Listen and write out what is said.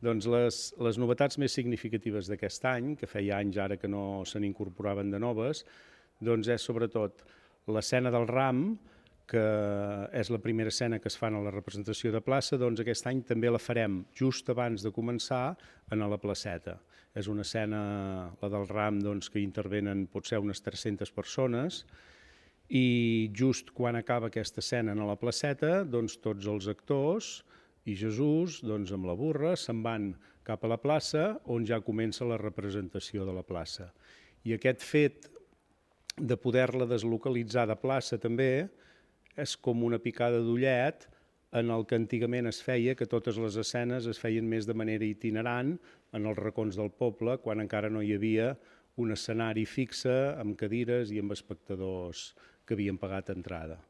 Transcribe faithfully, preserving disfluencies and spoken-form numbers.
Doncs les, les novetats més significatives d'aquest any, que feia anys ara que no se n'incorporaven de noves, doncs és sobretot l'escena del ram, que és la primera escena que es fa a la representació de plaça, doncs aquest any també la farem just abans de començar a la placeta. És una escena, la del ram, doncs, que intervenen potser unes tres-centes persones, i just quan acaba aquesta escena a la placeta, doncs tots els actors i Jesús, doncs, amb la burra, se'n van cap a la plaça, on ja comença la representació de la plaça. I aquest fet de poder-la deslocalitzar de plaça també és com una picada d'ullet en el que antigament es feia, que totes les escenes es feien més de manera itinerant en els racons del poble, quan encara no hi havia un escenari fixe amb cadires i amb espectadors que havien pagat entrada.